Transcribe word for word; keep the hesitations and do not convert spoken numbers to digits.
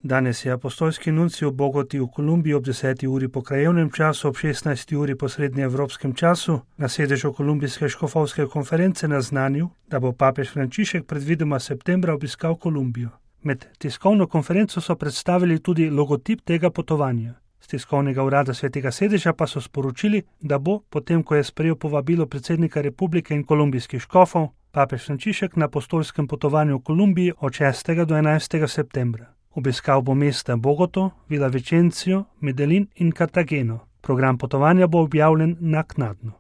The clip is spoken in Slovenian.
Danes je apostolski nuncij v Bogoti v Kolumbiji ob deseti uri po krajevnem času, ob šestnajsti uri po srednjeevropskem času na sedežu Kolumbijske škofovske konference naznanil, da bo papež Frančišek predvidoma septembra obiskal Kolumbijo. Med tiskovno konferenco so predstavili tudi logotip tega potovanja. Z tiskovnega urada Svetega sedeža pa so sporočili, da bo, potem ko je sprejel povabilo predsednika republike in kolumbijskih škofov, papež Frančišek na apostolskem potovanju v Kolumbiji od šestega do enajstega septembra. Obiskal bo mesta Bogoto, Villavicencio, Medellin in Cartageno. Program potovanja bo objavljen naknadno.